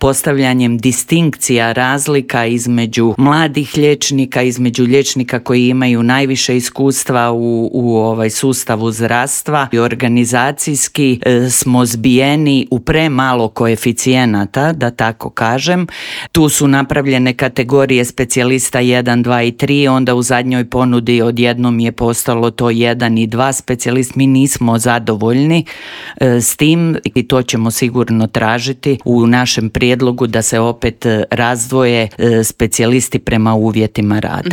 postavljanjem distinkcija, razlika između mladih liječnika, između liječnika koji imaju najviše iskustva u sustavu zdravstva i organizacijski smo zbijeni u premalo koeficijenata, da tako kažem. Tu su napravljene kategorije specijalista 1, 2 i 3, onda u zadnjoj ponudi odjednom je postalo to 1 i 2 specijalist. Mi nismo zadovoljni s tim i to ćemo sigurno tražiti u našem prijedlogu da se opet razdvoje specijalisti prema uvjetima rada.